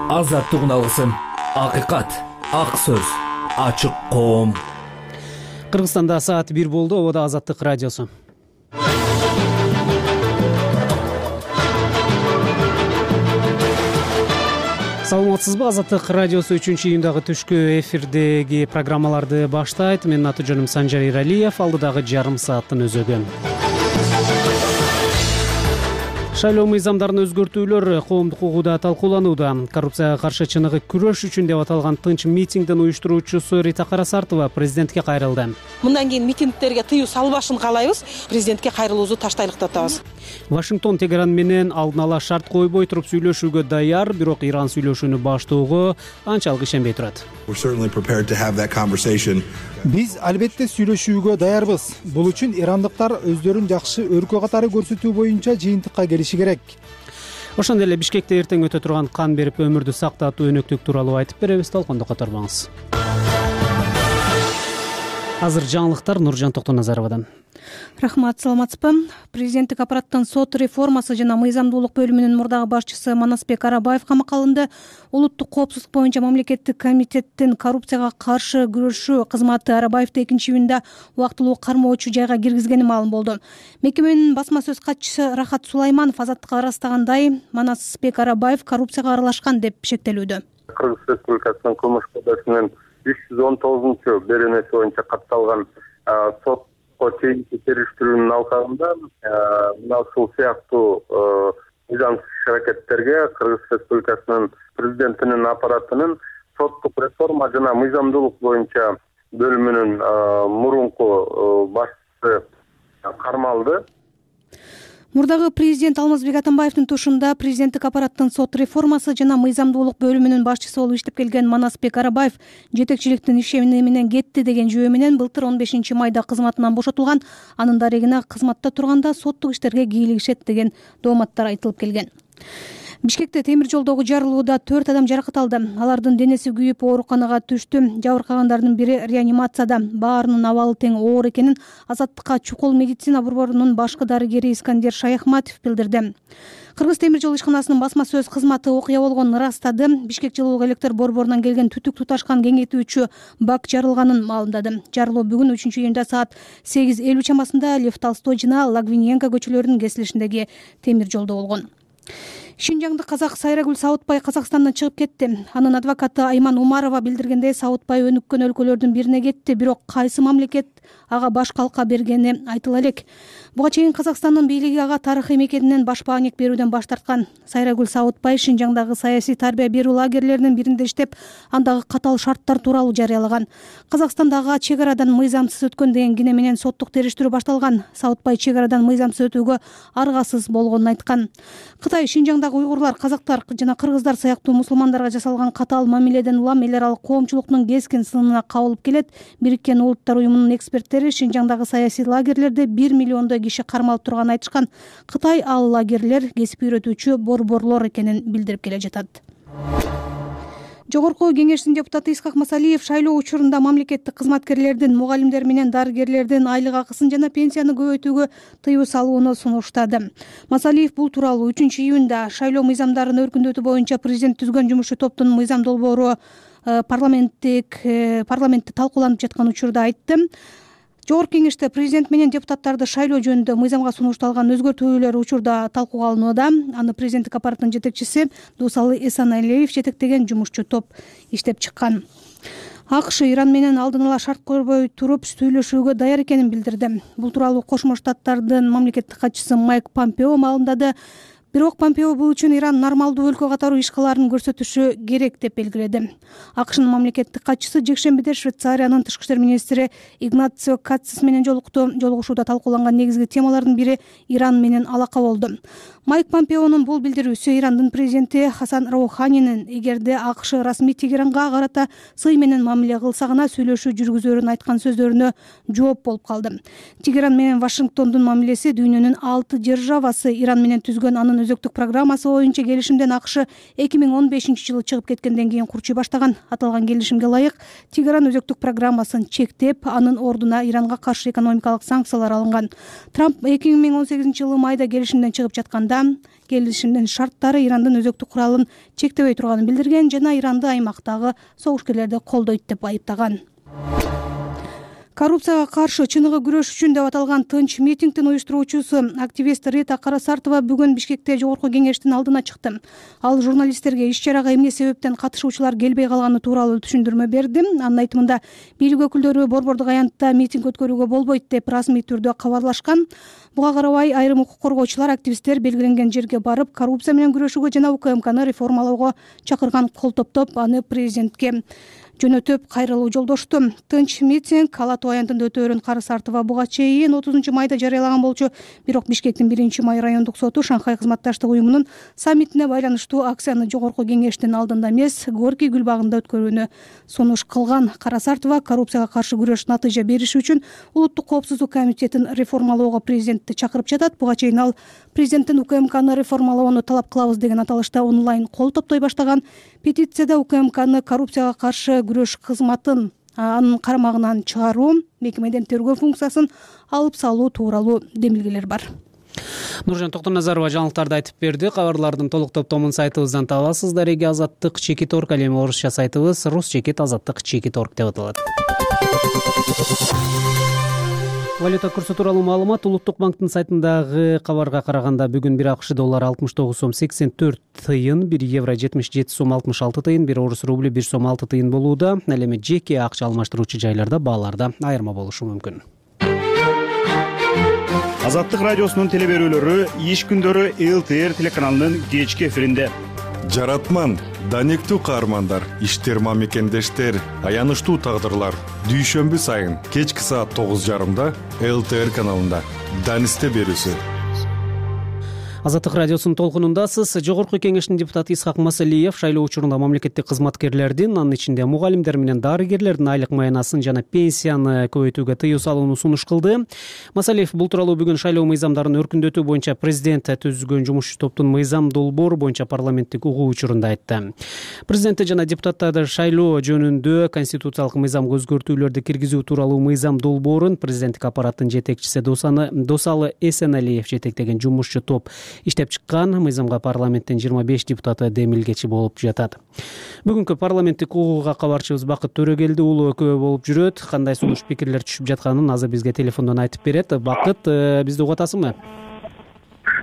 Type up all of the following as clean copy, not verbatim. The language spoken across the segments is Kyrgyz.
азаттык алгысым, акыйкат, ак сөз, ачык коом. Кыргызстанда саат 1 болду. Ободо Азаттык радиосу. Саламатсызбы? Азаттык радиосу 3-июндагы түшкү эфирдеги программаларды баштайт. Менин аты-жөнүм Санжар Иралиев. Алдыдагы жарым сааттын өзөгү. Шайлоо мыйзамдарын өзгөртүүлөр коомдук угууда талкууланууда. Коррупцияга каршы чыныгы күрөш үчүн деп аталган тынч митингдин уюштуруучусу Рита Карасартова президентке кайрылды. Мындан кийин митингдерге тыюу салбашын каалайбыз. Президентке кайрылуубузду таштайлык деп атабыз. Вашингтон Тегеран менен алдын ала шарт койбой туруп сүйлөшүүгө даяр, бирок Иран сүйлөшүүнү баштоого анчалык ишенбей турат. Биз албетте сүйлөшүүгө даярбыз. Бул үчүн ирандыктар өздөрүн жакшы өркөө катары көрсөтүү боюнча жыйынтыкка келиши керек. Ошондой эле Бишкекте эртең өтө турган кан берип өмүрдү сактатуу өнөктүк тууралуу айтып беребиз. Толкондо которбоңуз. Азыр жаңылыктар Нуржан Токтоназаровадан. Рахмат, саламатсызбы? Президенттик аппараттын сот реформасы жана мыйзамдуулук бөлүмүнүн мурдагы башчысы Манасбек Арабаев камакка алынды. Улуттук коопсуздук боюнча мамлекеттик комитеттин коррупцияга каршы күрөшүү кызматы Арабаевди 2-июнда убактылуу кармоочу жайга киргизгени маалым болду. Мекеменин басма сөз катчысы Рахат Сулайманов Азаттыкка ырастагандай, Манасбек Арабаев коррупцияга аралашкан деп шектелүүдө. Кыргыз Республикасынын кылмыш кодексинин 319 беренеси боюнча катталган сотко чейинки териштирүүнүн алкагында мына ушул сыяктуу мыйзамсыз аракеттерге Кыргыз Республикасынын президентинин аппаратынын соттук реформа жана мыйзамдуулук боюнча бөлүмүнүн мурунку башчысы кармалды. Мурдагы президент Алмазбек Атамбаевдин тушунда президенттик аппараттын сот реформасы жана мыйзамдуулук бөлүмүнүн башчысы болуп иштеп келген Манасбек Арабаев жетекчиликтин ишени менен кетти деген жүйө менен былтыр 15 майда кызматынан бошотулган. Анын дарегине кызматта турганда соттук иштерге кийлигишет деген дооматтар айтылып келген. Бишкекте темир жолдогу жарылууда 4 адам жаракат алды. Алардын денеси күйүп ооруканага түштү. Жабыркагандардын бири реанимацияда. Баарынын абалы тең оор экенин Азаттыкка чукул медицина борборунун башкы дарыгери Искандер Шаяхматов билдирди. Кыргыз темир жол ишканасынын басма сөз кызматы окуя болгонун ырастады. Бишкек жылуулук электр борборунан келген түтүк туташкан кеңейтүүчү бак жарылганын маалымдады. Жарылуу бүгүн 3-июнда саат 8:50 чамасында Лев Толстой жана Лагвиненко көчөлөрүнүн кесилишиндеги темир жолдо болгон. Шинжаңдык казак Сайрагүл Саутбай Казакстандан чыгып кетти. Анын адвокаты Айман Умарова билдиргендей, Саутбай өнүккөн өлкөлөрдүн бирине кетти, бирок кайсы мамлекет ага баш калка бергени айтыла элек. Буга чейин Казакстандын бийлиги ага тарыхый мекенинен баш баанек берүүдөн баш тарткан. Сайрагүл Саутбай Шинжаңдагы саясий тарбия берүү лагерлеринин биринде иштеп, андагы катаал шарттар тууралуу жарыялаган. Казакстандагы чек арадан мыйзамсыз өткөн деген кине менен соттук териштирүү башталган. Саутбай чек арадан мыйзамсыз өтүүгө аргасыз болгонун айткан. Кытай Шинжаңдагы уйгурлар, казактар жана кыргыздар сыяктуу мусулмандарга жасалган катаал мамиледен улам эл аралык коомчулуктун кескин сынына кабылып келет. Бириккен Улуттар уюмунун эксперттери Шинжаңдагы саясий лагерлерде 1 миллиондой киши кармалып турганын айтышкан. Кытай ал лагерлер кесип үйрөтүүчү борборлор экенин билдирип келе жатат. Жогорку кеңештин депутаты Исхак Масалиев шайлоо учурунда мамлекеттик кызматкерлердин, мугалимдер менен дарыгерлердин айлык акысын жана пенсияны көбөйтүүгө тыюу салууну сунуштады. Масалиев бул тууралуу 3-июнда шайлоо мыйзамдарын өркүндөтүү боюнча президент түзгөн жумушчу топтун мыйзам долбоору парламентте талкууланып жаткан учурда айтты. Жогорку кеңеште президент менен депутаттарды шайлоо жөнүндө мыйзамга сунушталган өзгөртүүлөр учурда талкууга алынууда. Аны президенттик аппараттын жетекчиси Дусалы Эсаналиев жетектеген жумушчу топ иштеп чыккан. АКШ Иран менен алдын ала шарт көрбөй туруп сүйлөшүүгө даяр экенин билдирди. Бул тууралуу Кошмо Штаттардын мамлекеттик катчысы Майк Помпео маалымдады. Бирок Помпео бул үчүн Иран нормалдуу өлкө катары иш кылаарын көрсөтүшү керек деп белгиледи. АКШнын мамлекеттик катчысы жекшембиде Швейцариянын тышкы иштер министри Игнацио Катсис менен жолукту. Жолугушууда талкууланган негизги темалардын бири Иран менен алака болду. Майк Помпеонун бул билдирүүсү Ирандын президенти Хасан Роуханинин эгерде АКШ расмий Тегеранга карата сый менен мамиле кылса гана сүйлөшүү жүргүзөрүн айткан сөздөрүнө жооп болуп калды. Тегеран менен Вашингтондун мамилеси дүйнөнүн 6 державасы Иран менен түзгөн анын өзөктүк программасы боюнча келишимден АКШ 2015-жылы чыгып кеткенден кийин курчуй баштаган. Аталган келишимге ылайык Тегеран өзөктүк программасын чектеп, анын ордуна Иранга каршы экономикалык санкциялар алынган. Трамп 2018-жылы майда келишимден чыгып жатканда келишимдин шарттары Ирандын өзөктүк куралын чектебей турганын билдирген жана Иранды аймактагы согушкерлерди колдойт деп айыптаган. Коррупцияга каршы чыныгы күрөш үчүн деп аталган тынч митингдин уюштуруучусу активист Рита Карасартова бүгүн Бишкекте жогорку кеңештин алдына чыкты. Ал журналисттерге иш-чарага эмне себептен катышуучулар келбей калганы тууралуу түшүндүрмө берди. Анын айтымында бийлик өкүлдөрү борбордук аянтта митинг өткөрүүгө болбойт деп расмий түрдө кабарлашкан. Буга карабай айрым укук коргоочулар активисттер белгиленген жерге барып, коррупция менен күрөшүүгө жана УКМКны реформалоого чакырган кол топтоп, аны президентке жөнөтүп кайрылуу жолдошту. Тынч митинг Ала Тоо аянтында өтөөрүн Карасартова буга чейин 30-майда жарыялаган болчу. Бирок Бишкектин 1-май райондук соту Шанхай кызматташтык уюмунун саммитине байланыштуу акцияны жогорку кеңештин алдында эмес, Горький гүл багында өткөрүүнү сунуш кылган. Карасартова коррупцияга каршы күрөш натыйжа бериши үчүн улуттук коопсуздук комитетин реформалоого президентти чакырып жатат. Буга чейин ал президенттин УКМКны реформалоону талап кылабыз деген аталышта онлайн кол топтой баштаган. Петицияда УКМКны коррупцияга каршы күрөш кызматын анын карамагынан чыгаруу, мекемеден тергөө функциясын алып салуу тууралуу демилгелер бар. Нуржан Токтоназарова жаңылыктарды айтып берди. Кабарлардын толук топтомун сайтыбыздан табасыздар. Эги Азаттык /org, ал эми орусча сайтыбыз rus/azаттык/org деп аталат. Валюта курсу тууралуу маалымат Улуттук банктын сайтындагы кабарга караганда бүгүн 1 АКШ доллары 69 сом 84 тыйын, 1 евро 77 сом 66 тыйын, 1 орус рубль 1 сом 6 тыйын болууда. Ал эми жеке акча алмаштыруучу жайларда бааларда айырма болушу мүмкүн. Азаттык радиосунун теле берүүлөрү иш күндөрү ЛТР телеканалынын кечки эфиринде. Жаратман, данектүү каармандар, иштер мамекендештер, аянычтуу тагдырлар. Дүйшөмбү сайын кечки саат 9:30 ЛТР каналында Данисте берүүсү. Азаттык радиосунун толкунундасыз. Жогорку кеңештин депутаты Исхак Масалиев шайлоо учурунда мамлекеттик кызматкерлердин, анын ичинде мугалимдер менен дарыгерлердин айлык маянасын жана пенсияны көбөйтүүгө тыюу салууну сунуш кылды. Масалиев бул тууралуу бүгүн шайлоо мыйзамдарын өркүндөтүү боюнча президент түзүлгөн жумушчу топтун мыйзам долбоору боюнча парламенттик угуу учурунда айтты. Президент жана депутаттарды шайлоо жөнүндө конституциялык мыйзамга өзгөртүүлөрдү киргизүү тууралуу мыйзам долбоорун президенттик аппараттын жетекчиси Досалы Эсеналиев жетектеген жумушчу топ иштеп чыккан. Мыйзамга парламенттин 25 депутаты демилгечи болуп жатат. Бүгүнкү парламенттик угууга кабарчыбыз Бакыт Төрөгелди уулу экөө болуп жүрөт. Кандай сунуш пикирлер түшүп жатканын азыр бизге телефондон айтып берет. Бакыт, бизди угуп атасыңбы?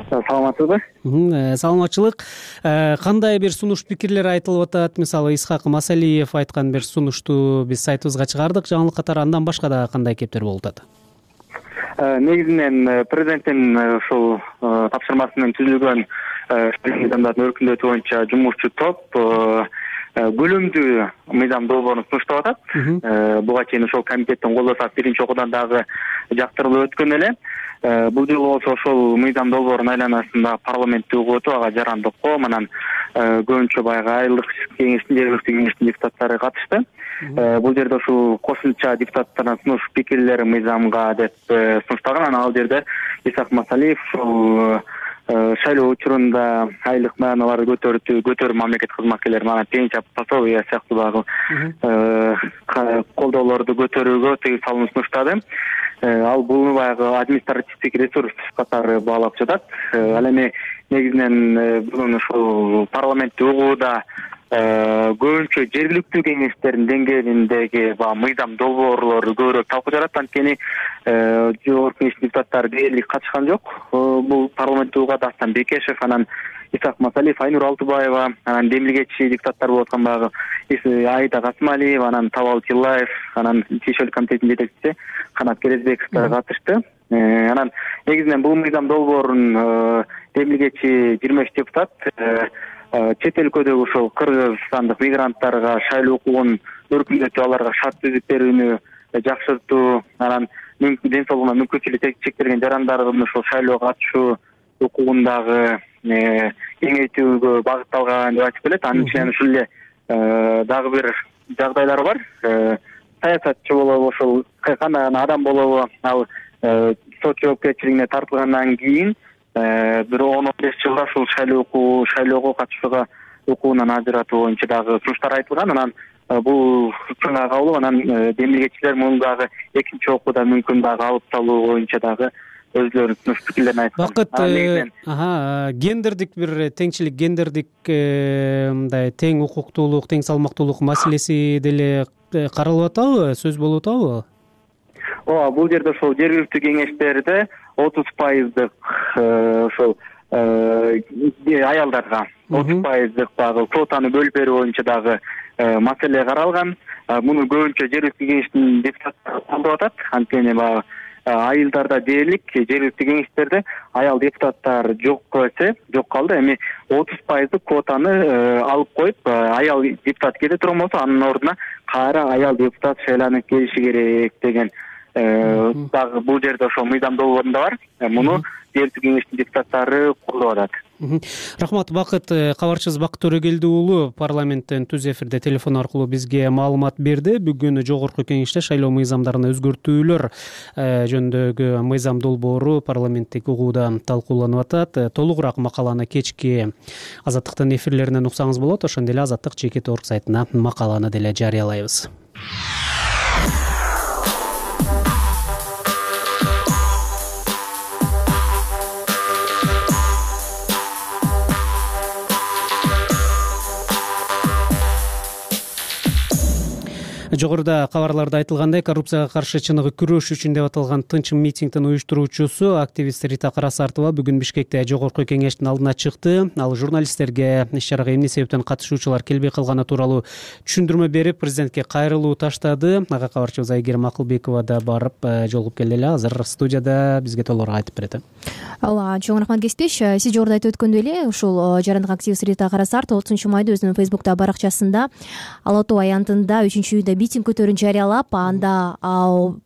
Саламатсызбы? Саламатчылык. Кандай бир сунуш пикирлер айтылып атат? Мисалы Исхак Масалиев айткан бир сунушту биз сайтыбызга чыгардык жаңылык катары. Андан башка да кандай кептер болуп атат? Негизинен президенттин ушул тапшырмасы түзүлгөн мыйзамдарды өркүндөтүү боюнча жумушчу топ көлөмдүү мыйзам долбоорун сунуштап атат. Буга чейин ошол комитеттин колдосо 1-окуудан дагы жактырылып өткөн эле. Бул жолу болсо ошол мыйзам долбоорунун айланасында парламенттик угуу өтүп, ага жарандыкком анан көбүнчө баягы айылдык кеңештин, жергиликтүү кеңештин депутаттары катышты. Бул жерде ушул кошумча депутаттардын сунуш пикирлери мыйзамга деп сунушталган. Анан ал жерде Исхак Масалиев ушул шайлоо учурунда айлык маяналарды көтөрүү мамлекеттик кызматкерлер, анан пенсия, пособие сыяктуу дагы колдоолорду көтөрүүгө тыюу салууну сунуштады. Ал буну баягы административдик ресурс катары баалап жатат. Ал эми негизинен бүгүн ушул парламенттик угууда көбүнчө жергиликтүү кеңештердин деңгээлиндеги мыйзам долбоорлору көбүрөөк талкуу жаратат. Анткени жогорку кеңештин депутаттары дээрлик катышкан жок. Бул парламенттик угууга Дастан Бекешев, анан Исхак Масалиев, Айнур Алтыбаева, анан демилгечи депутаттар болуп аткан баягы Айда Касымалиева, анан Табал Тиллаев, анан Тиешелик комитетинин жетекчиси Канат Керезбековдор катышты. Анан негизинен бул мыйзам долбоорун демилгечи 23 депутат чет өлкөдөгү ошол кыргызстандык мигранттарга шайлоо укугун өркүндөтүү, аларга шарт түзүп берүүнү жакшыртуу, анан ден соолугуна мүмкүнчүлүгү чектелген жарандардын ошол шайлоого катышуу укугундагы кеңейтүүгө багытталган деп айтып келет. Анын ичинен ушул эле дагы бир жагдайлар бар. Саясатчы болобу, ошол кандай адам болобу, ал сот жоопкерчилигине тартылгандан кийин бир 10-15 жылда ушул шайлоого катышууга укугунан ажыратуу боюнча дагы сунуштар айтылган. Анан бул чыңга кабыл анан демилгечилер муну дагы экинчи окууда мүмкүн дагы алып салуу боюнча дагы өзлөрүнүн сунуш пикирлерин айткан. Бакыт, гендердик бир теңчилик, гендердик мындай тең укуктуулук, тең салмактуулук маселеси деле каралып атабы, сөз болуп атабы? Ооба, бул жерде ошол жергиликтүү кеңештерде 30% ошол аялдарга 30% дагы квотаны бөлүп берүү боюнча дагы маселе каралган. Муну көбүнчө жергиликтүү кеңештин депутаттары колдоп атат. Анткени баягы айылдарда дээрлик жергиликтүү кеңештерде аял депутаттар жок калды. Эми 30% квотаны алып коюп, аял депутат кете турган болсо, анын ордуна кайра аял депутат шайланып келиши керек деген дагы бул жерде ошол мыйзам долбоорунда бар. Муну жергиликтүү кеңештин депутаттары колдоп атат. Рахмат. Бакыт, кабарчыбыз Бакыт Төрөгелди уулу парламенттен түз эфирде телефон аркылуу бизге маалымат берди. Бүгүн жогорку кеңеште шайлоо мыйзамдарына өзгөртүүлөр жөнүндөгү мыйзам долбоору парламенттик угууда талкууланып атат. Толугураак макаланы кечки Азаттыктын эфирлеринен уксаңыз болот. Ошондой эле Азаттык жеке торг сайтына макаланы деле жарыялайбыз. Жогоруда кабарларда айтылгандай, коррупцияга каршы чыныгы күрөш үчүн деп аталган тынч митингдин уюштуруучусу активист Рита Карасартова бүгүн Бишкекте жогорку кеңештин алдына чыкты. Ал журналисттерге иш чарага эмне себептен катышуучулар келбей калганы тууралуу түшүндүрмө берип, президентке кайрылуу таштады. Ага кабарчыбыз Айгерим Акылбекова да барып жолугуп келди эле. Азыр студияда бизге толугураак айтып берет. Ооба, чоң рахмат Кесипбеш. Сиз жогоруда айтып өткөндөй эле, ушул жарандык активист Рита Карасартова 30-майда өзүнүн Фейсбуктагы баракчасында Ала Тоо аянтында 3-июнда митинг көтөрүүнү жарыялап, анда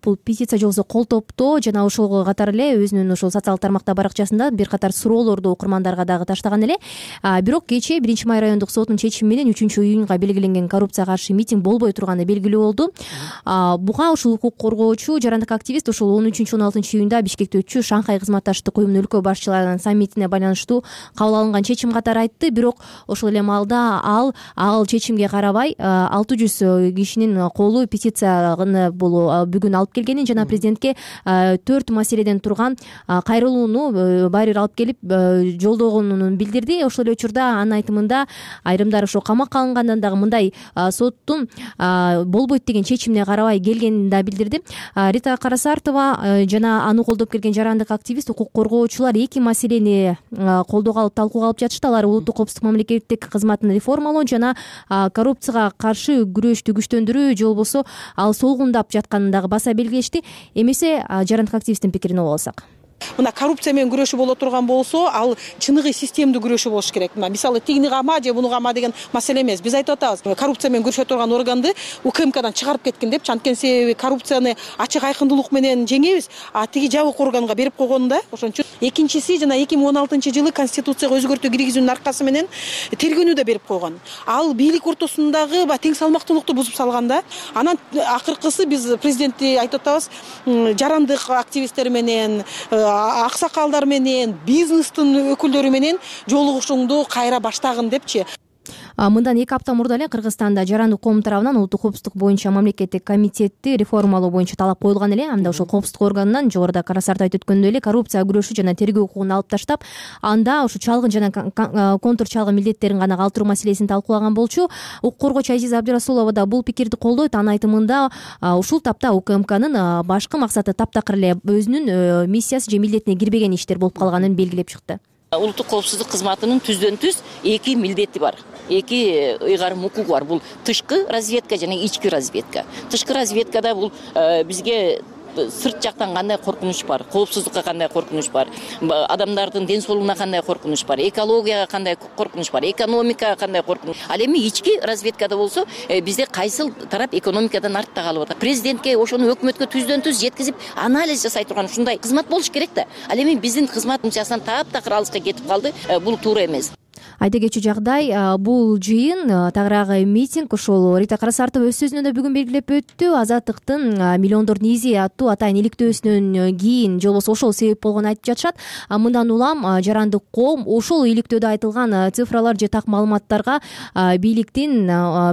бул петиция жолсу кол топтоо жана ошого катар эле өзүнүн ошол социалдык тармакта баракчасында бир катар суроолорду окурмандарга дагы таштаган эле. Бирок кечээ 1-май райондук сотунун чечими менен 3-июнга белгиленген коррупцияга каршы митинг болбой турганы белгилүү болду. Буга ушул укук коргоочу жарандык активист ушул 13-16-июнда Бишкекте өтчү Шанхай кызматташтык уюмунун өлкө башчыларынын саммитине байланыштуу кабыл алынган чечим катары айтты. Бирок ошол эле маалда ал чечимге карабай 600 кишинин колу петицияны бүгүн алып келгенин жана президентке 4 маселеден турган кайрылууну баары бир алып келип жолдогонун билдирди. Ошол эле учурда анын айтымында айрымдары ошо камакка алынгандан дагы мындай соттун болбойт деген чечимине карабай келгенин да билдирди. Рита Карасартова жана аны колдоп келген жарандык активист, укук коргоочулар 2 маселени колдоого алып талкууга алып жатышты. Алар улуттук коопсуздук мамлекеттик кызматын реформалоо жана коррупцияга каршы күрөштү күчтөндүрүү же болбосо ал солгундап жатканын дагы баса белгилешти. Эмесе жарандык активисттин пикирине угуп алсак, мына коррупция менен күрөшүү боло турган болсо, ал чыныгы системдүү күрөшүү болуш керек. Мисалы тигини кама же буну кама деген маселе эмес. Биз айтып атабыз, коррупция менен күрөшө турган органды УКМКдан чыгарып кеткин депчи. Анткени себеби коррупцияны ачык айкындуулук менен жеңебиз, тиги жабык органга берип койгонда. Ошон үчүн экинчиси жана 2016-жылы конституцияга өзгөртүү киргизүүнүн аркасы менен тергөөнү да берип койгон. Ал бийлик ортосундагы тең салмактуулукту бузуп салганда. Анан акыркысы биз президентти айтып атабыз, жарандык активисттер менен, аксакалдар менен, бизнестин өкүлдөрү менен жолугушууңду кайра баштагын депчи. Мындан 2 апта мурда эле Кыргызстанда жарандык коом тарабынан улуттук коопсуздук боюнча мамлекеттик комитетти реформалоо боюнча талап коюлган эле. Анда ошол коопсуздук органынан жогоруда Карасарт айтып өткөндөй эле коррупцияга күрөшүү жана тергөө укугун алып таштап, анда ушу чалгын жана контур чалгын милдеттерин гана калтыруу маселесин талкуулаган болчу. Укук коргоочу Азиза Абдырасулова да бул пикирди колдойт. Анын айтымында ушул тапта УКМКнын башкы максаты таптакыр эле өзүнүн миссиясы же милдетине кирбеген иштер болуп калганын белгилеп чыкты. Улуттук коопсуздук кызматынын түздөн түз 2 милдети бар. 2 ыйгарым укугу бар. Бул тышкы разведка жана ички разведка. Тышкы разведкада бул бизге сырт жактан кандай коркунуч бар, коопсуздукка кандай коркунуч бар, адамдардын ден соолугуна кандай коркунуч бар, экологияга кандай коркунуч бар, экономикага кандай коркунуч. Ал эми ички разведкада болсо бизде кайсыл тарап экономикадан артта калып атат. Президентке ошону өкмөткө түздөн түз жеткизип анализ жасай турган ушундай кызмат болуш керек да. Ал эми биздин кызмат функциясынан таптакыр алыска кетип калды. Бул туура эмес. айта кетчү жагдай, бул жыйын тагыраагы митинг ушул Рита Карасартова өз сөзүндө бүгүн белгилеп өттү. Азаттыктын миллиондордун изи аттуу атайын иликтөөсүнөн кийин же болбосо ошол себеп болгонун айтып жатышат. Мындан улам жарандык коом ошол иликтөөдө айтылган цифралар же так маалыматтарга бийликтин,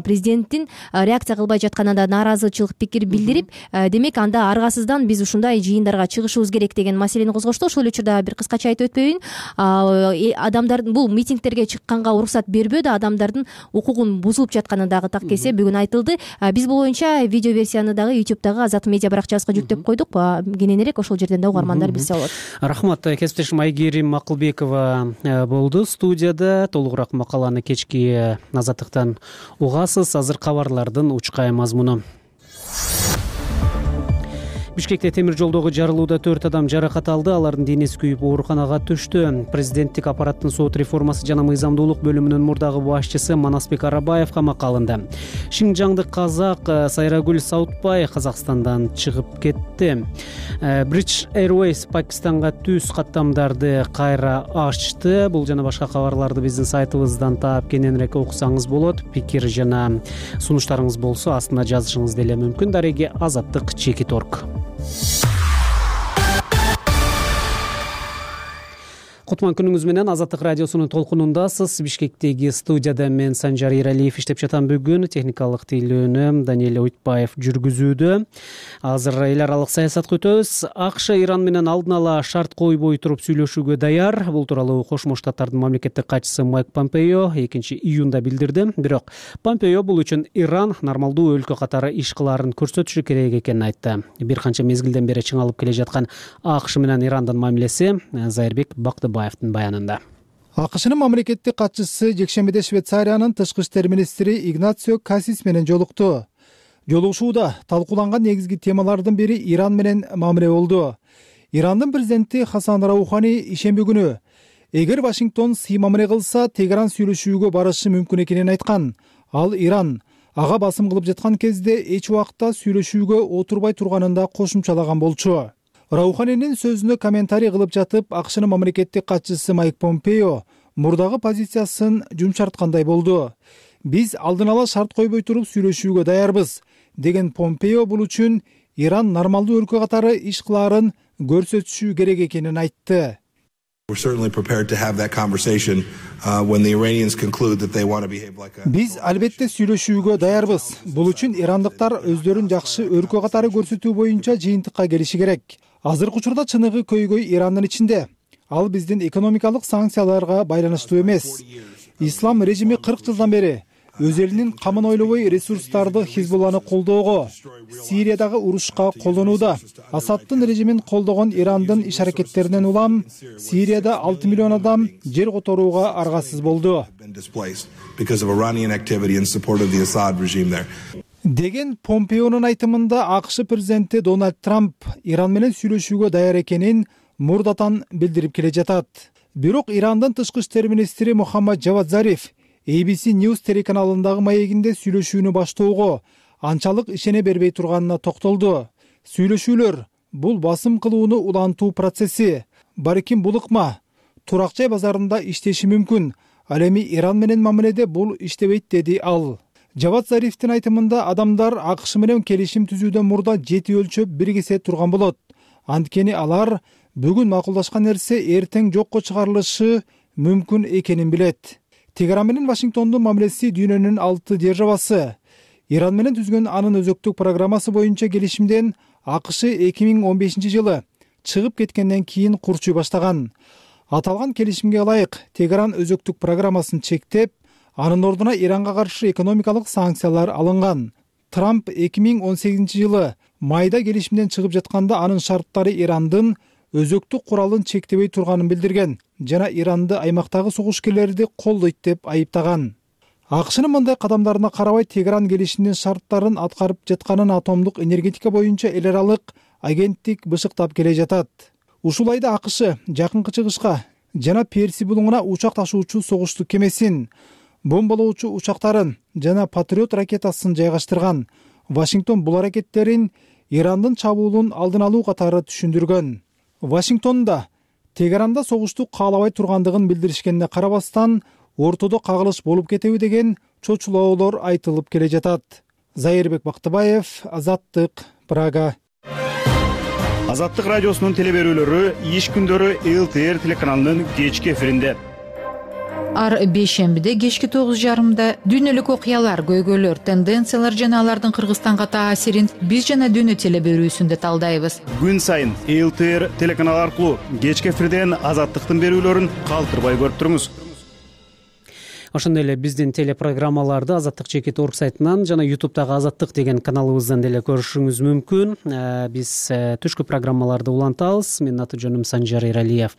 президенттин реакция кылбай жатканына нааразычылык пикир билдирип, демек анда аргасыздан биз ушундай жыйындарга чыгышыбыз керек деген маселени козгошту. Ошол эле учурда бир кыскача айтып өтпөйүн, адамдардын бул митингтерге чыкканга уруксат бербөө да адамдардын укугун бузулуп жатканы дагы так кесе бүгүн айтылды. Биз бул боюнча видео версияны дагы YouTube'дагы Азат медиа баракчабызга жүктөп койдук. Кененирээк ошол жерден да угармандар билсе болот. Рахмат. Кесиптешим Айгерим Акылбекова болду студияда. Толугураак макаланы кечки Азаттыктан угасыз. Азыр кабарлардын учкай мазмуну. Бишкекте темир жолдогу жарылууда 4 адам жаракат алды. Алардын денеси күйүп ооруканага түштү. Президенттик аппараттын сот реформасы жана мыйзамдуулук бөлүмүнүн мурдагы башчысы Манасбек Арабаев камакка алынды. Шинжаңдык казак Сайрагүл Саутбай Казакстандан чыгып кетти. British Airways Пакистанга түз каттамдарды кайра ачты. Бул жана башка кабарларды биздин сайтыбыздан таап кененирээк окусаңыз болот. Пикир жана сунуштарыңыз болсо астына жазышыңыз деле мүмкүн. Дареги Азаттык _org. Кутман күнүңүз менен Азаттык радиосунун толкунундасыз. Бишкектеги студияда мен Санжар Иралиев иштеп жатам. Бүгүн техникалык тейлөөнү Даниэль Ойтбаев жүргүзүүдө. Азыр эл аралык саясатка өтөбүз. АКШ Иран менен алдын ала шарт койбой туруп сүйлөшүүгө даяр. Бул тууралуу Кошмо Штаттардын мамлекеттик катчысы Майк Помпео 2-июнда билдирди. Бирок Помпео бул үчүн Иран нормалдуу өлкө катары иш кылаарын көрсөтүшү керек экенин айтты. Бир канча мезгилден бери чыңалып келе жаткан АКШ менен Ирандын мамилеси Зайырбек Бактыбаевдин баянында. АКШнын мамлекеттик катчысы жекшембиде Швейцариянын тышкы иштер министри Игнацио Кассис менен жолукту. Жолугушууда талкууланган негизги темалардын бири Иран менен мамиле болду. Ирандын президенти Хасан Раухани ишемби күнү эгер Вашингтон сый мамиле кылса, Тегеран сүйлөшүүгө барышы мүмкүн экенин айткан. Ал Иран ага басым кылып жаткан кезде эч убакта сүйлөшүүгө отурбай турганын да кошумчалаган болчу. Рауханинин сөзүнө комментарий кылып жатып, АКШнын мамлекеттик катчысы Майк Помпео мурдагы позициясын жумшарткандай болду. Биз алдын ала шарт койбой туруп сүйлөшүүгө даярбыз деген Помпео бул үчүн Иран нормалдуу өлкө катары иш кылаарын көрсөтүшү керек экенин айтты. Биз албетте сүйлөшүүгө даярбыз. Бул үчүн ирандыктар өздөрүн жакшы өлкө катары көрсөтүү боюнча жыйынтыкка келиши керек. Азыркы учурда чыныгы көйгөй Ирандын ичинде. Ал биздин экономикалык санкцияларга байланыштуу эмес. Ислам режими 40 жылдан бери өз элинин камын ойлобой ресурстарды Хизбулланы колдоого, Сириядагы урушка колдонууда. Асаддын режимин колдогон Ирандын иш аракеттеринен улам Сирияда 6 миллион адам жер которууга аргасыз болду деген Помпеонун айтымында АКШ президенти Дональд Трамп Иран менен сүйлөшүүгө даяр экенин мурдатан билдирип келе жатат. Бирок Ирандын тышкы иштер министри Мухаммад Джавад Зариф ABC News телеканалындагы маегинде сүйлөшүүнү баштоого анчалык ишене бербей турганына токтолду. Сүйлөшүүлөр бул басым кылууну улантуу процесси. Барким бул ыкма турак жай базарында иштеши мүмкүн. Ал эми Иран менен мамиледе бул иштебейт деди ал. Джавад Зарифтин айтымында адамдар АКШ менен келишим түзүүдөн мурда 7 өлчөп биргисе турган болот. Анткени алар бүгүн макулдашкан нерсе эртең жокко чыгарылышы мүмкүн экенин билет. Тегеран менен Вашингтондун мамилеси дүйнөнүн 6 державасы. Иран менен түзгөн анын өзөктүк программасы боюнча келишимден АКШ 2015 жылы чыгып кеткенден кийин курчуй баштаган. Аталган келишимге ылайык Тегеран өзөктүк программасын чектеп, анын ордуна Иранга каршы экономикалык санкциялар алынган. Трамп 2018 жылы майда келишимден чыгып жатканда анын шарттары Ирандын өзөктүк куралын чектебей турганын билдирген жана Иранды аймактагы согушкерлерди колдойт деп айыптаган. АКШнын мындай кадамдарына карабай Тегеран келишимдин шарттарын аткарып жатканын атомдук энергетика боюнча эл аралык агенттик бышыктап келе жатат. Ушул айда АКШ Жакынкы Чыгышка жана Перси булуңуна учак ташуучу согуштук кемесин, бомбалоочу учактарын жана Патриот ракетасын жайгаштырган. Вашингтон бул аракеттерин Ирандын чабуулун алдын алуу катары түшүндүргөн. Вашингтонда Тегеранда согушту каалабай тургандыгын билдиришкенине карабастан, ортодо кагылыш болуп кетеби деген чочулоолор айтылып келе жатат. Зайырбек Бактыбаев, Азаттык, Прага. Азаттык радиосунун телеберүүлөрү иш күндөрү ЛТР телеканалынын кечки эфиринде. Ар бейшембиде кечки 9:30 дүйнөлүк окуялар, көйгөйлөр, тенденциялар жана алардын Кыргызстанга таасирин биз жана дүйнө телеберүүсүндө талдайбыз. Күн сайын ЛТР телеканалы аркылуу кечки эфирден Азаттыктын берүүлөрүн калтырбай көрүп туруңуз. Ошондой эле биздин телепрограммаларды Азаттык чекит орг сайтынан жана YouTube'дагы Азаттык деген каналыбыздан деле көрүшүңүз мүмкүн. Биз түшкү программаларды улантабыз. Менин аты жөнүм Санжар Эралиев.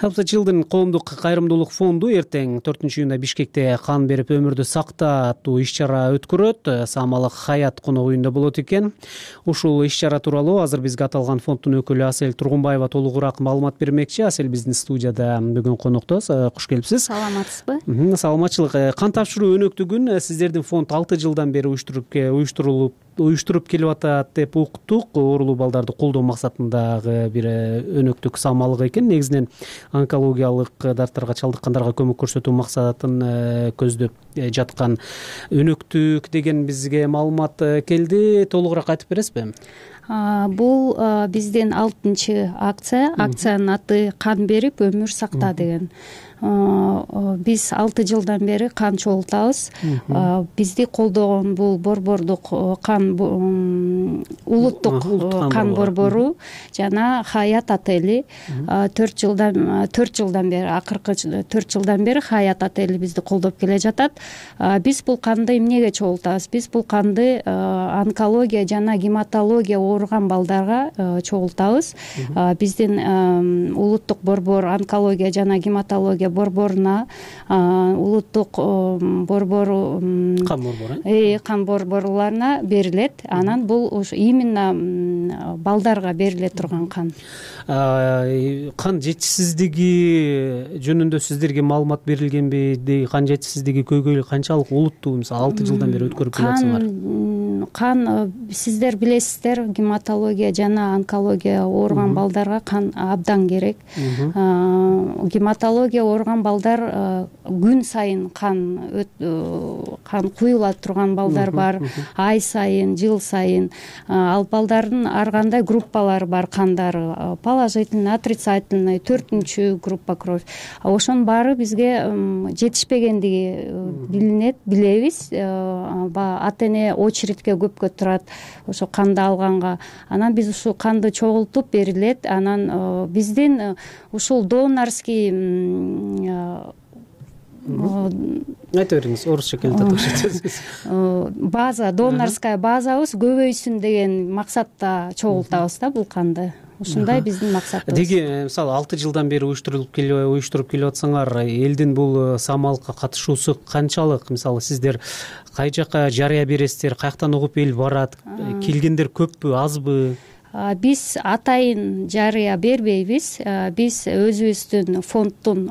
Help the Children коомдук кайрымдуулук фонду эртең 4-июнда Бишкекте кан берип өмүрдү сакта аттуу иш-чара өткөрөт. Саамалык Хаят конок үйүндө болот экен. Ушул иш-чара тууралуу азыр бизге аталган фонддун өкүлү Асель Тургунбаева толугураак маалымат бермекчи. Асель биздин студияда бүгүн конокто. Куш келипсиз. Саламатсызбы? Саламатчылык. Кан тапшыруу өнөктүгүн сиздердин фонд 6 жылдан бери уюштуруп келип атат деп уктук. Оорулуу балдарды колдоо максатындагы бир өнөктүк саамалык экен. Негизинен онкологиялык дарттарга чалдыккандарга көмөк көрсөтүү максатын көздөп жаткан өнөктүк деген бизге маалымат келди. Толугураак айтып бересизби? Бул биздин 6-чы акция. Акциянын аты кан берип өмүр сакта деген. Биз 6 жылдан бери кан чогултабыз. Бизди колдогон бул борбордук кан улуттук кан борбору жана Хаят отели 4 жылдан бери, акыркы 4 жылдан бери Хаят отели бизди колдоп келе жатат. Биз бул канды эмнеге чогултабыз? Биз бул канды онкология жана гематология ооруган балдарга чогултабыз. Биздин улуттук борбор онкология жана гематология борборуна улуттук борбору кан борборларына берилет. Анан бул именно балдарга бериле турган кан. Кан жетишсиздиги жөнүндө сиздерге маалымат берилгенби? Кан жетишсиздиги көйгөйлү канчалык олуттуу? Мисалы 6 жылдан бери өткөрүп келатсыңар. Кан сиздер билесиздер, гематология жана онкология ооруган балдарга кан абдан керек. Гематология ооруган балдар күн сайын кан куюла турган балдар бар. Ай сайын, жыл сайын. Ал балдардын ар кандай группалары бар кандары. Положительный, отрицательный, 4-чү группа кровь. Ошонун баары бизге жетишпегендиги билинет, билебиз. Ата-эне очередке көпкө турат ошо канды алганга. Анан биз ушул канды чогултуп берилет. Анан биздин ушул донорский айта бериңиз, орусча келтирип база, донорская базабыз көбөйсүн деген максатта чогултабыз да бул канды. Ушундай биздин максатыбыз. Деги мисалы 6 жылдан бери уюштуруп келип атсаңар, элдин бул саамалыкка катышуусу канчалык? Мисалы сиздер кай жака жарыя бересиздер, каяктан угуп эл барат? Келгендер көппү, азбы? Биз атайын жарыя бербейбиз. Биз өзүбүздүн фонддун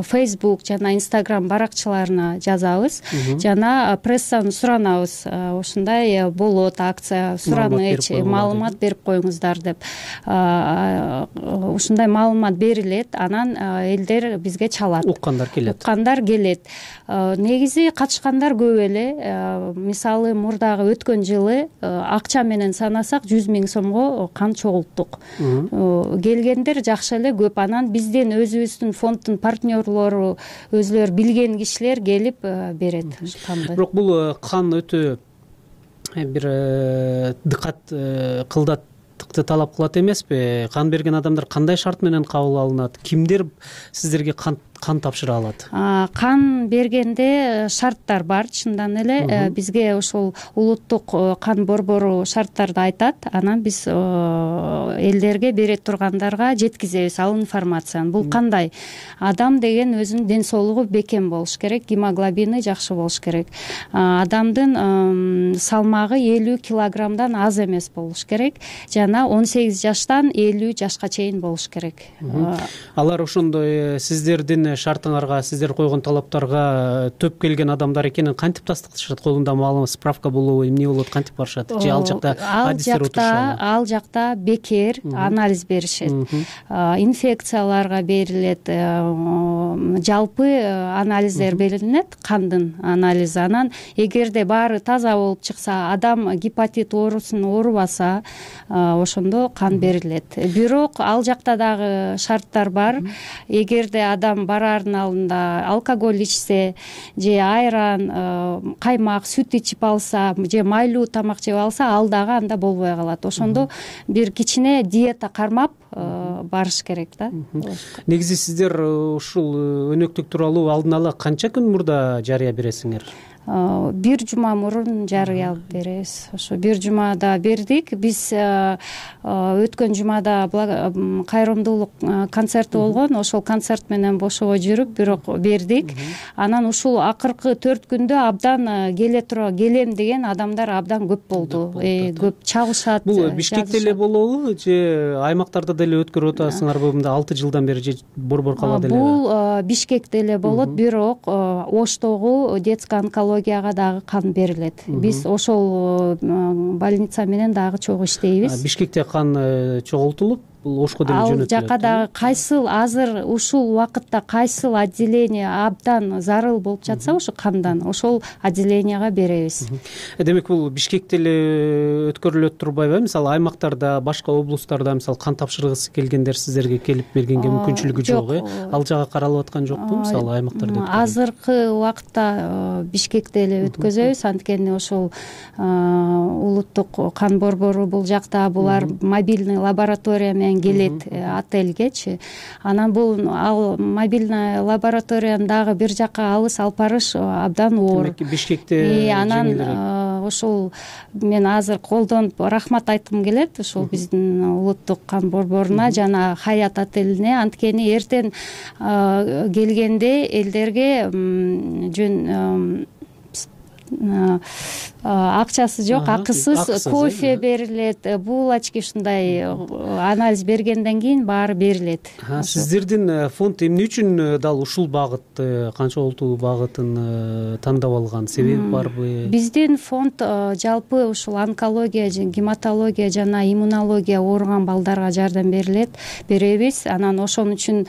Facebook жана Instagram баракчаларына жазабыз. Жана прессаны суранабыз. Ушундай болот акция, сураныч, маалымат берип коюңуздар деп. Ушундай маалымат берилет. Анан элдер бизге чалат. Уккандар келет. Негизи катышкандар көп эле. Мисалы мурдагы өткөн жылы акча менен санасак 100 000 сом кан чогулттук. Келгендер жакшы эле көп. Анан биздин өзүбүздүн фонддун партнерлору, өзүлөр билген кишилер келип берет канды. Бирок бул кан өтө бир дыкат кылдаттыкты талап кылат эмеспи? Кан берген адамдар кандай шарт менен кабыл алынат? Кимдер сиздерге кан тапшыра алат? Кан бергенде шарттар бар, чындан эле. Бизге ошол улуттук кан борбору шарттарды айтат. Анан биз элдерге бере тургандарга жеткизебиз ал информацияны. Бул кандай? Адам деген өзүнүн ден соолугу бекем болуш керек, гемоглобини жакшы болуш керек. Адамдын салмагы 50 килограммдан аз эмес болуш керек. Жана 18 жаштан 50 жашка чейин болуш керек. Алар ошондой сиздердин сиздердин шартыңарга, сиздер койгон талаптарга төп келген адамдар экенин кантип тастыкташат? Колунда маалымат, справка болобу, эмне болот, кантип барышат? Же ал жакта адистер отурушабы? Ал жакта бекер анализ беришет. Инфекцияларга берилет, жалпы анализдер берилет, кандын анализи. Анан эгерде баары таза болуп чыкса, адам гепатит оорусун оорубаса, ошондо кан берилет. Бирок ал жакта дагы шарттар бар. Эгерде адам бараардын алдында алкоголь ичсе же айран, каймак, сүт ичип алса же майлуу тамак жеп алса, ал дагы анда болбой калат. Ошондо бир кичине диета кармап барыш керек да. Негизи сиздер ушул өнөктүк тууралуу алдын ала канча күн мурда жарыя бересиңер? 1 жума мурун жарыя алып беребиз. Ошо 1 жумада бердик. Биз өткөн жумада кайрымдуулук концерти болгон. Ошол концерт менен бошобой жүрүп, бирок бердик. Анан ушул акыркы 4 күндө абдан келем деген адамдар абдан көп болду. Көп чабышат. Бул Бишкекте эле болобу же аймактарда деле өткөрүп атасыңарбы? Мында 6 жылдан бери же борбор калат эле? Бул Бишкекте эле болот, бирок Оштогу детский онкологияга дагы кан берилет. Биз ошол больница менен дагы чогуу иштейбиз. Бишкекте кан чогултулуп, Ошко деле жөнөтүлөт. Ал жака дагы кайсыл азыр ушул убакытта кайсыл отделение абдан зарыл болуп жатса, ошо кандан ошол отделенияга беребиз. Демек бул Бишкекте эле өткөрүлөт турбайбы? Мисалы аймактарда, башка облустарда мисалы кан тапшыргысы келгендер сиздерге келип бергенге мүмкүнчүлүгү жок, Ал жага каралып аткан жокпу? Мисалы аймактарда азыркы убакытта Бишкекте эле өткөзөбүз. Анткени ошол улуттук кан борбору бул жакта, булар мобильный лаборатория менен келет отельгечи. Анан бул ал мобильный лабораторияны дагы бир жака алыс алып барыш абдан оор. Демек Бишкекте анан ошол мен азыр колдонуп рахмат айткым келет ошол биздин улуттук кан борборуна жана Хаят отелине. Анткени эртең келгенде элдерге жөн акчасы жок, акысыз кофе берилет, булочки, ушундай анализ бергенден кийин баары берилет. Сиздердин фонд эмне үчүн дал ушул багытты, канча олтуу багытын тандап алган? Себеби барбы? Биздин фонд жалпы ушул онкология, гематология жана иммунология ооруган балдарга жардам беребиз. Анан ошон үчүн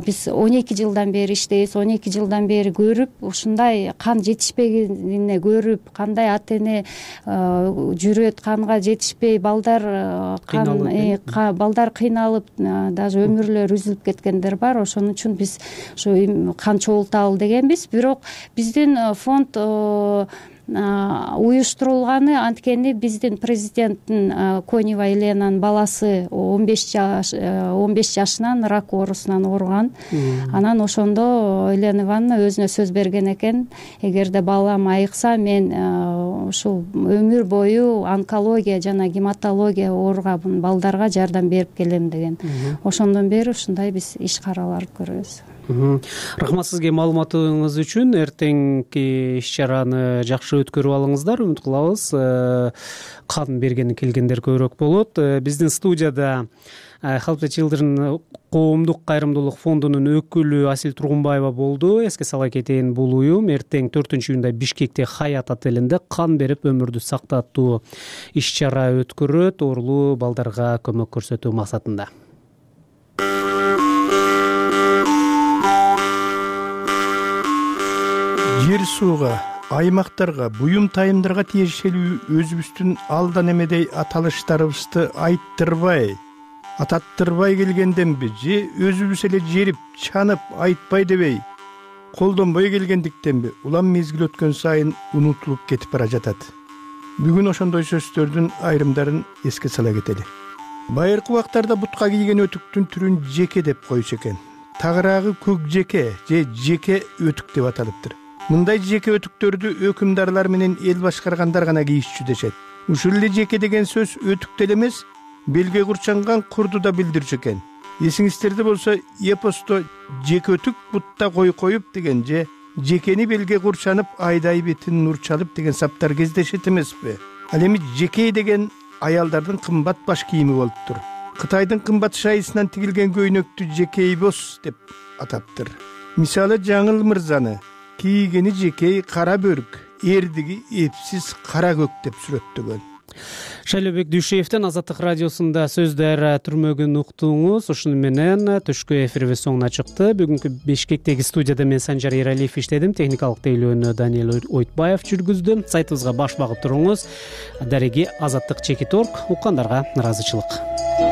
биз 12 жылдан бери иштейбиз. 12 жылдан бери көрүп, ушундай кан жетишпегенин көрүп, кандай ата-эне жүрөт, канга жетишпей балдар кыйналып, даже өмүрлөрү үзүлүп кеткендер бар. Ошон үчүн биз ушу кан чогулталы дегенбиз. Бирок биздин фонд уюштурулганы анткени биздин президенттин Конева Еленанын баласы 15 жашынан рак оорусунан ооруган. Анан ошондо Елена Ивановна өзүнө сөз берген экен, эгерде балам айыкса, мен ушул өмүр бою онкология жана гематология ооруган балдарга жардам берип келем деген. Ошондон бери ушундай биз иш каралар көрөбүз. Рахмат сизге маалыматыңыз үчүн. Эртеңки иш-чараны жакшы өткөрүп алыңыздар. Үмүт кылабыз кан бергени келгендер көбүрөөк болот. Биздин студияда Help the Children коомдук кайрымдуулук фондунун өкүлү Асил Тургунбаева болду. Эске сала кетейин, бул уюм эртең 4-июнда Бишкекте Хаят отелинде кан берип өмүрдү сактатуу иш-чара өткөрөт, оорулуу балдарга көмөк көрсөтүү максатында. Жер сууга, аймактарга, буюм тайымдарга тиешелүү өзүбүздүн алдан эмедей аталыштарыбызды ататтырбай келгенденби же өзүбүз эле жерип, чанып, айтпай дебей, колдонбой келгендиктенби улам мезгил өткөн сайын унутулуп кетип бара жатат. Бүгүн ошондой сөздөрдүн айрымдарын эске сала кетели. Байыркы убактарда бутка кийген өтүктүн түрүн жеке деп койчу экен. Тагыраагы көк жеке же жеке өтүк деп аталыптыр. Мындай жеке өтүктөрдү өкүмдарлар менен эл башкаргандар гана кийишчү дешет. Ушул эле жеке деген сөз өтүк деле эмес, белге курчанган курду да билдирчү экен. Эсиңиздерде болсо, эпосто жеке өтүк бутта кой коюп деген же жекени белге курчанып айдай бетин нур чалып деген саптар кездешет эмеспи? Ал эми жеке деген аялдардын кымбат баш кийими болуптур. Кытайдын кымбат шайысынан тигилген көйнөктү жекейбос деп атаптыр. мисалы жаңыл мырзаны кийгени жекей кара бөрк, эрдиги эпсиз кара көк деп сүрөттөгөн. Шайлообек Дүйшеевден Азаттык радиосунда сөздөр түрмөгүн уктуңуз. Ушуну менен түшкү эфирибиз соңуна чыкты. Бүгүнкү Бишкектеги студияда мен Санжар Эралиев иштедим. Техникалык тейлөөнү Даниэл Ойтбаев жүргүздү. Сайтыбызга баш багып туруңуз. Дареги Азаттык Чекит.org. Уккандарга ыраазычылык.